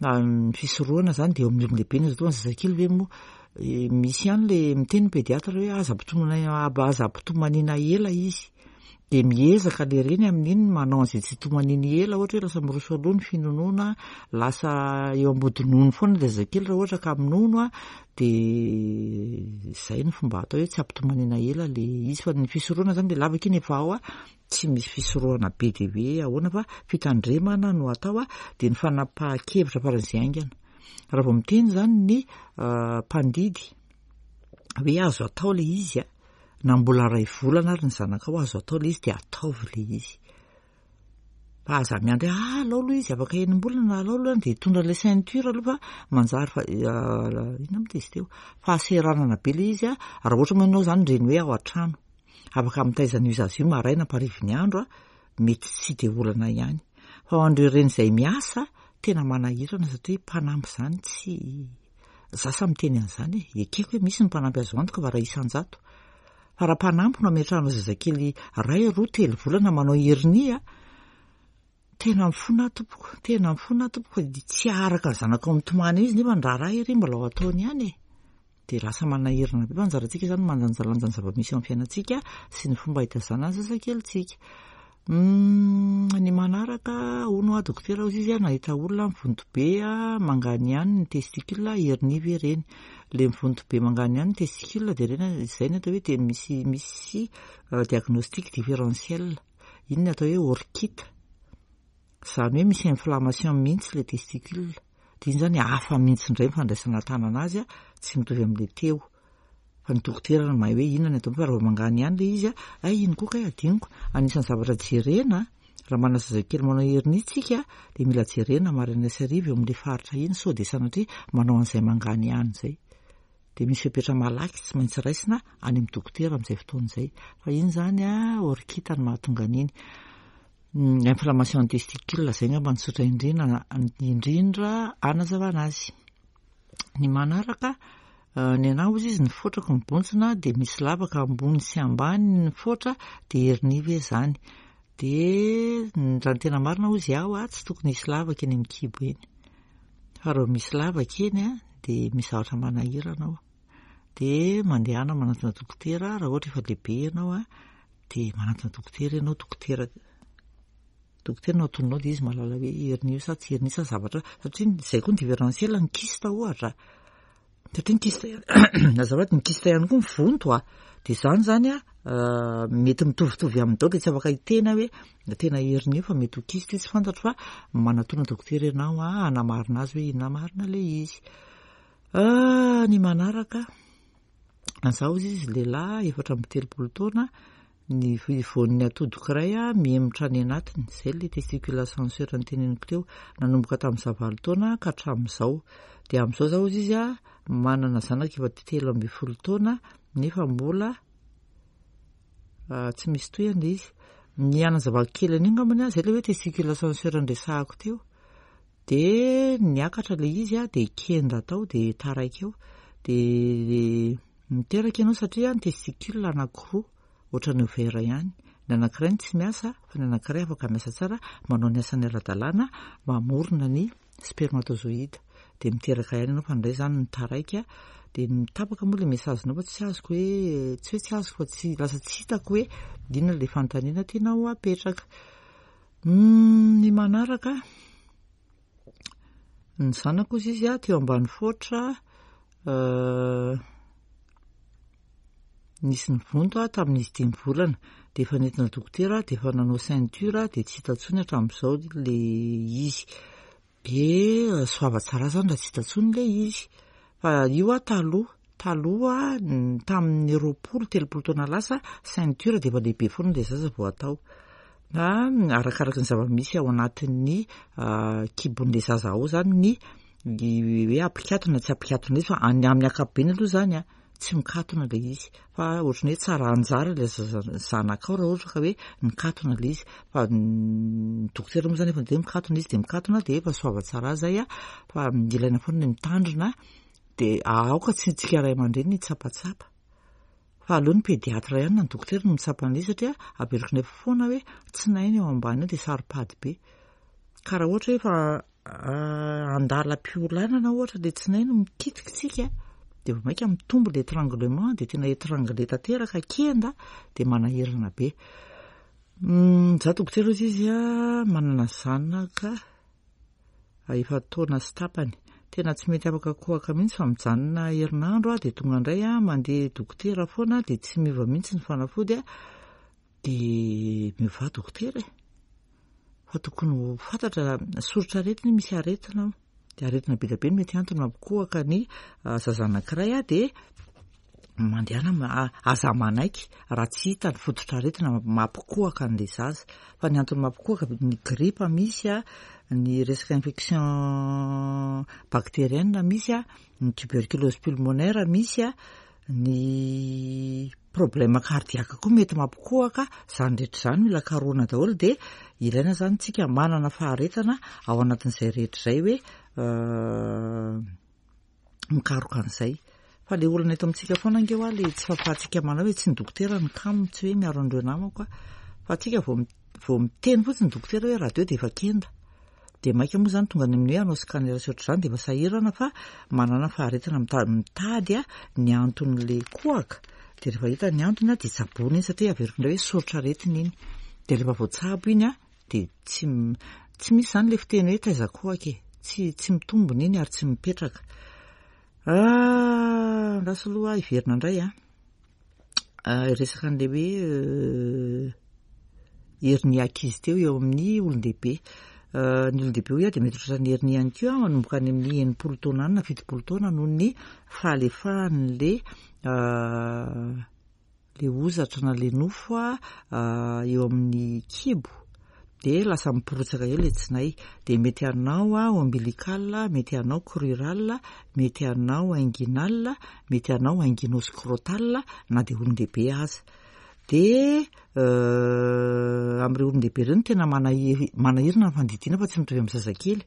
Ny fisorohana izany dia eo amin'ny olon-dehibe ny azo atao, ny zazakely ve moa misy ihany ilay miteny ny pédiatre hoe aza ampitomaniana aza ampitomaniana ela izy. Dia miezaka le reny amin'iny manao an'izay tsy hitomaniany ela, ohatra hoe lasa miroso aloha ny finonoana, lasa eo ambody nono foana ilay zazakely raha ohatra ka minono an, dia izay no fomba atao hoe tsy ampitomaniana ela le izy fa ny fisorohana izany le lavaka iny efa ao an, tsy misy fisorohana be dia be ahoana fa fitandremana no atao an, dia ny fanapahan-kevitra faran'izay haingana. Raha vao miteny izany ny mpandidy hoe azo atao ilay izy an, Na mbola iray volana ary ny zanakao azo atao ilay izy dia ataovy ilay izy. Fa aza miandry hoe ah alao aloha izy afaka enim-bolana alao aloha dia hitondra ilay ceinture aloha fa manjary fa inona moa izy teo fahaseranana be ilay izy a raha ohatra moa ianao izany reny hoe ao an-trano afaka mitaiza an'io zaza io maraina amparivin'ny andro a mety tsy dia olana ihany fa ho an'ireo reny izay miasa tena manahirana satria mpanampy izany tsy Za sahy miteny an'izany e, ekeko hoe misy ny mpanampy azo antoka fa raha isan-jato. Fa raha mpanampy no ametrahana zazakely iray, roa, telo volana manao hernie a, Tena mifona aho tompoko, tena mifona aho tompoko fa dia tsy haharaka ny zanakao mitomany eo izy nefa ny raharaha ery mbola ho ataony ihany e. Dia lasa manahirana be fa anjarantsika izany mandanjalanja ny zava-misy eo amin'ny fiainantsika sy ny fomba hitaizana ny zazakelintsika. Ny manaraka, hono hoa dokotera hozy izy nahita olona mivonto be manganihany ny testicule, hernie ve ireny? Ilay mivonto be manganihany ny testicule dia ireny izay no atao hoe dia misy misy diagnostic différentiel. Iny no atao hoe orchite. Izany hoe misy inflammation mihitsy ilay testicule. Dia iny izany hafa mihitsy indray ny fandraisana tanana azy, tsy mitovy amin'ilay teo. Fa ny dokotera no mahay hoe inona ny atao fa raha vao mangana ihany ilay izy, hay iny koa kay adinoko. Anisan'ny zavatra jerena, raha manana zazakely manao hernie tsika dia mila jerena maraina sy hariva eo amin'ilay faritra iny sao dia sanatria manao an'izay mangana ihany izay. Dia misy fepetra malaky tsy maintsy raisina any amin'ny dokotera amin'izay fotoana izay. Fa iny izany orchite no mahatonga an'iny. Inflammation ny testicule izay angamba no tsotra indrindra indrindra hanazavana azy. Ny manaraka, ny anah hozy izy ny fotrako mibontsina dia misy lavaka ambony sy ambany ny fotra dia hernie ve izany? Dia raha ny tena marina hozy aho tsy tokony hisy lavaka eny amin'ny kibo eny. Fa raha misy lavaka eny dia misy zavatra manahirana ao. Dia mandehana manantona dokotera raha ohatra efa lehibe ianao dia manantona dokotera ianao, dokotera dokotera no atoninao dia izy mahalala hoe hernie io sa tsy hernie sa zavatra satria izay koa ny différentiel ny kyste ohatra. Satria ny kyste azafady ny kyste ihany koa mivonto a. Dia izany izany a mety mitovitovy aminy daholo dia tsy afaka hiteny aho hoe tena hernie io fa mety ho kyste io tsy fantatro fa manatona dokotera ianao a hanamarina azy hoe inona marina ilay izy. Ny manaraka, za hozy izy lehilahy 34 taona, ny voan'ny atodiko iray mihemotra any anatiny, izay ilay testicule ascenseur noteneniko teo, nanomboka tamin'ny za 8 taona ka hatramin'izao. Dia amin'izao za hozy izy manana zanaka efa 13 taona nefa mbola tsy misy tohiny ilay izy. Ny hanazavako kely an'io angambany, izay ilay hoe testicule ascenseur noresahako teo. Dia niakatra ilay izy dia kenda tao dia taraiky eo. Dia niteraka ianao satria ny testicule anankiroa ohatran'ny ovaire ihany. Ny anankiray no tsy miasa fa ny anankiray afaka miasa tsara manao ny asany ara-dalàna mamorona ny spermatozoïde. Dia miteraka ihany ianao fa indray izany ny taraiky dia mitapaka moa ilay message-nao fa tsy azoko hoe tsy hoe tsy azoko fa tsy lasa tsy hitako hoe inona ilay fanontaniana tianao apetraka. Ny manaraka, ny zanako hozy izy teo ambany foatra nisy nivonto aho tamin'izy 5 volana dia efa nentina dokotera dia efa nanao ceinture dia tsy hita intsony hatramin'izao ilay izy. Dia soava tsara zany raha tsy hita intsony ilay izy. Fa io aho taloha, taloha tamin'ny 20, 30 taona lasa, ceinture dia efa lehibe foana ilay zaza vao atao. Fa arakaraky ny zava-misy ao anatin'ny kibon'ilay zaza ao zany ny hoe ampikatona tsy ampikatona izy fa any amin'ny ankapobeny aloha zany a, tsy mikatona ilay izy fa ohatran'ny hoe tsara anjara ilay zaza zanakao raha ohatra ka hoe mikatona ilay izy fa ny dokotera moa zany efa niteny hoe mikatona izy dia mikatona dia efa soava tsara zay a, fa ilaina foana ny mitandrina dia aoka tsy tsika ray aman-dreny hitsapatsapa fa aleo ny pédiatre ihany na ny dokotera no mitsapa an'ilay izy satria averiko nefa foana hoe tsinainy ao ambany ao dia saro-pady be ka raha ohatra hoe efa andalam-piolanana ohatra ilay tsinainy mikitika tsika dia vao mainka mitombo ilay étranglement dia tena étranglé tanteraka kenda dia manahirana be. Za dokotera hozy izy a, manana zanaka efa-taona sy tapany. Tena tsy mety afaka kohaka mihitsy fa mijanona herinandro aho dia tonga indray aho mandeha dokotera foana dia tsy miova mihitsy ny fanafody a, dia miovà dokotera e. Fa tokony ho fantatra soritra aretina io, misy aretina ao. Dia aretina be dia be no mety antony mampikohaka ny zaza anankiray a, dia mandehana aza manaiky raha tsy hita ny fototr'aretina mampikohaka an'ilay zaza. Fa ny antony mampikohaka ny gripa misy a, ny resaka infection bactérienne misy a, ny tuberculose pulmonaire misy a, ny problème cardiaque koa mety mampikohaka, izany rehetra izany mila karohina daholo dia ilaina izany tsika manana faharetana ao anatin'izay rehetra izay hoe mikaroka an'izay. Fa le olana eto amintsika foana ange hoa le tsy fahafahantsika manao hoe tsy ny dokotera no kamo, tsy hoe miaro an'ireo namako aho. Fa tsika vao vao miteny fotsiny ny dokotera hoe radio dia efa kenda. Dia maika moa izany tonga any amin'ny hoe hanao scanner sy ohatr'izany dia efa sahirana fa manana faharetana mitady ny anton'ilay kohaka. Dia rehefa hita ny antony dia tsaboina iny satria averiko indray hoe soritr'aretina iny. Dia rehefa voatsabo iny dia tsy tsy misy izany ilay fiteny hoe taiza kohaka e. Tsy tsy mitombina iny ary tsy mipetraka. Ah, andraso aloha hiverina indray an. Hiresaka an'ilay hoe hernie ankizy teo eo amin'ny olon-dehibe. Ny olon-dehibe hoy aho dia mety ho tratran'ny hernie ihany koa manomboka any amin'ny 60 taona any na 70 taona noho ny fahalefahan'ilay le hozatra na le nofo eo amin'ny kibo dia lasa miporotsaka eo le tsinay. Dia mety hanao ombilical, mety hanao crural, mety hanao inguinal, mety hanao inguinoscrotal na dia olon-dehibe aza. Dia amin'ireo olon-dehibe ireo no tena manahirana ny fandidiana fa tsy mitovy amin'ny zazakely.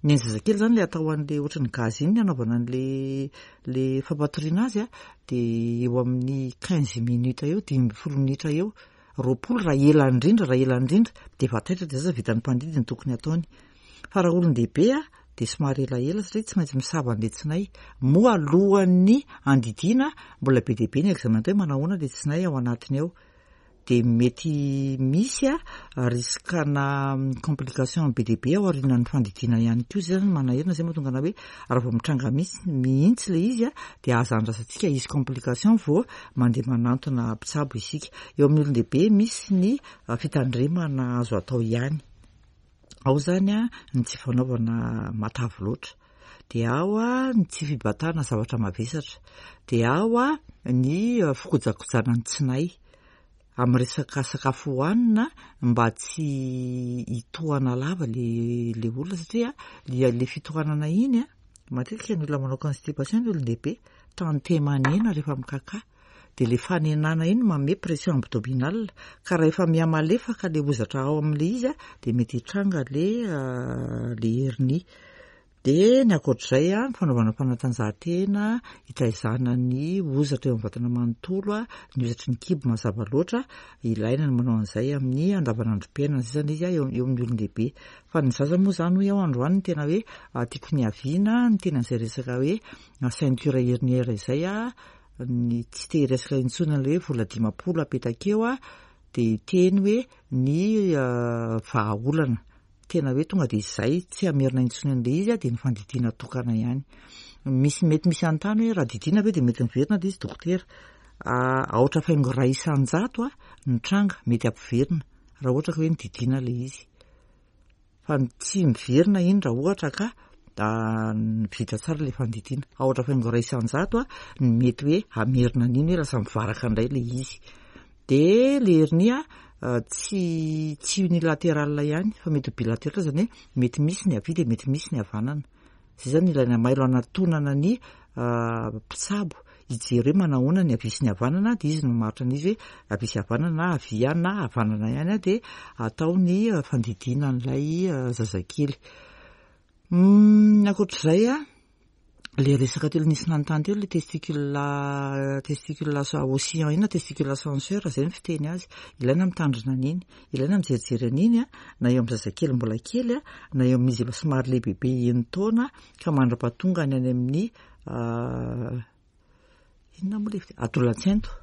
Ny an'ny zazakely izany ilay atao an'ilay ohatran'ny gaz iny ny anaovana an'ilay ilay fampatoriana azy dia eo amin'ny quinze minutes eo, 15 minitra eo, 20 raha ela indrindra, raha ela indrindra dia efa taitra dia zaza vitan'ny mpandidy ny tokony hataony. Fa raha olon-dehibe dia somary elaela satria tsy maintsy misava an'ilay tsinay. Moa alohan'ny handidiana mbola be dia be ny examen atao hoe manao ahoana ilay tsinay ao anatiny ao. Dia mety misy risque-na complication be dia be ao aorianan'ny fandidiana ihany koa. Izay izany manahirana, izay mahatonga anà hoe raha vao mitranga mihitsy ilay izy dia aza andrasantsika hisy complication vao mandeha manantona mpitsabo isika. Eo amin'ny olon-dehibe misy ny fitandremana azo atao ihany. Ao izany ny tsy fanaovana matavy loatra, dia ao ny tsy fibatana zavatra mavesatra, dia ao ny fikojakojana ny tsinay amin'ny resaka sakafo hohanina mba tsy hitohana lava le olona satria le fitohanana iny matetika ny olona manao constipation ny olon-dehibe tantemanena rehefa mikakà. Dia ilay fanenana iny manome pression abdominale, ka raha efa miha-malefaka ilay hozatra ao amin'ilay izy dia mety hitranga ilay ilay hernie. Dia ny ankoatr'izay, ny fanaovana fanatanjahantena, hitaizana ny hozatra eo amin'ny vatana manontolo, ny hozatry ny kibo mazava loatra, ilaina ny manao an'izay amin'ny andavanandrom-piainana, izay izany ilay izy eo amin'ny olon-dehibe. Fa ny zaza moa izany hoy aho androany no tena hoe tiako niaviana, ny tena izay resaka hoe ceinture herniaire izay, ny tsy te hiresaka intsony an'ilay hoe vola 50 apetaka eo dia hiteny hoe ny vahaolana tena hoe tonga dia izay tsy hamerina intsony an'ilay izy dia ny fandidiana tokana ihany. Misy mety misy anontany hoe raha didiana ve dia mety miverina ilay izy dokotera. Aotra faingo 1% ny tranga mety hampiverina raha ohatra ka hoe nididiana ilay izy. Fa ny tsy miverina iny raha ohatra ka vita tsara ilay fandidiana. Aotra faingo 1% ny mety hoe hamerina an'iny hoe lasa mivaraka indray ilay izy. Dia ilay hernie tsy tsy unilatéral ihany fa mety ho bilatéral, izany hoe mety misy ny havia dia mety misy ny havanana. Izay izany ilaina mailo hanatonana ny mpitsabo hijery hoe manahoana ny havia sy ny havanana, dia izy no mamaritra an'izy hoe havia sy havanana na havia ihany na havanana ihany, dia atao ny fandidiana an'ilay zazakely. Ny ankoatr'izay, ilay resaka teo nisy nanontany teo ilay testicule, testicule oscillant iny na testicule ascenseur, izay ny fiteny azy. Ilaina mitandrina an'iny, ilaina mijerijery an'iny na eo amin'ny zazakely mbola kely na eo amin'izy efa somary lehibebe enin-taona ka mandra-pahatongany any amin'ny inona moa ilay fiteny? Adolantsainto.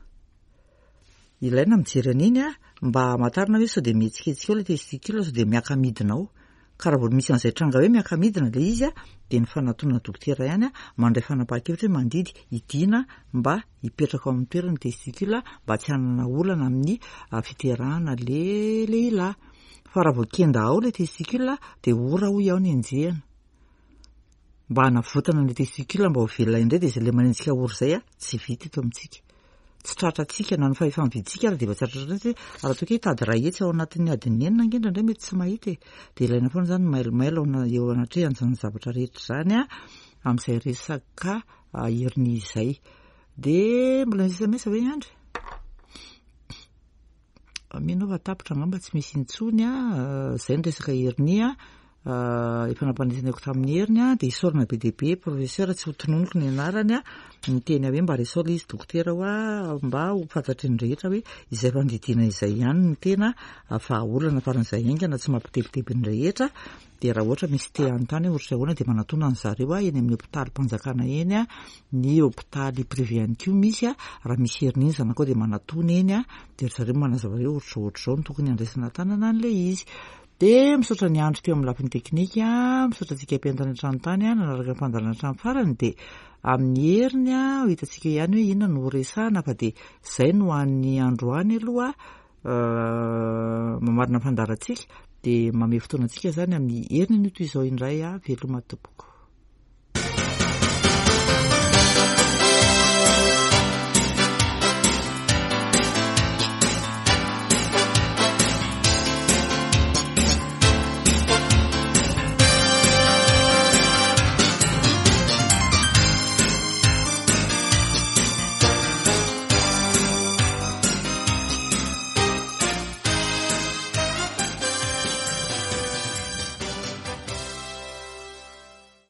Ilaina mijery an'iny mba hamantarana hoe sao dia mihetsiketsika ao ilay testicule, sao dia miaka-midina ao. Ka raha vao misy an'izay tranga hoe miaka-midina ilay izy dia ny fanatonana dokotera ihany mandray fanapahan-kevitra hoe mandidy hidiana mba hipetraka ao amin'ny toerany ny testicule mba tsy hanana olana amin'ny fiterahana ilay lehilahy. Fa raha vao kenda ao ilay testicule dia ora hoy aho ny enjehina. Mba hanavotana ny testicule mba ho velona indray dia izay ilay manenjika ora izay tsy vita eto amintsika. Tsy tratrantsika na ny fahefa-mividintsika ary dia efa tsy tratrantsika satria raha toa ka hitady 100 ao anatin'ny adiny 6 ange indraindray mety tsy mahita e. Dia ilaina foana izany ny mailomailo eo anatrehan'izany zavatra rehetra izany amin'izay resaka hernie izay. Dia mbola misy SMS ve Andry? Mino aho fa tapitra angamba tsy misy intsony izay ny resaka hernie. Efa nampanentenaiko tamin'ny heriny aho, dia isaorana be dia be professeur, tsy ho tononiko ny anarany, niteny aho hoe mba resaho ilay izy dokotera hoa, mba ho fantatry ny rehetra hoe izay fandidiana izay ihany no tena vahaolana faran'izay haingana tsy mampitebiteby ny rehetra, dia raha ohatra misy te hanontany hoe ohatry ny ahoana dia manatona an-dry zareo eny amin'ny hopitalim-panjakana eny, ny hopitaly privé ihany koa misy, raha misy heriny iny zanakao dia manatona eny, dia ry zareo manazava hoe ohatr'izao ohatr'izao no tokony handraisana an-tanana an'ilay izy. Dia misaotra ny andro teo amin'ny lafiny teknika, misaotra antsika mpihaino tany an-trano tany nanaraka ny fandaharana hatramin'ny farany dia amin'ny heriny ho hitantsika ihany hoe inona no horesahana fa dia izay no an'ny androany aloha mamarana ny fandaharantsika dia mamehy fotoana antsika izany amin'ny heriny anio toy izao indray veloma tompoko.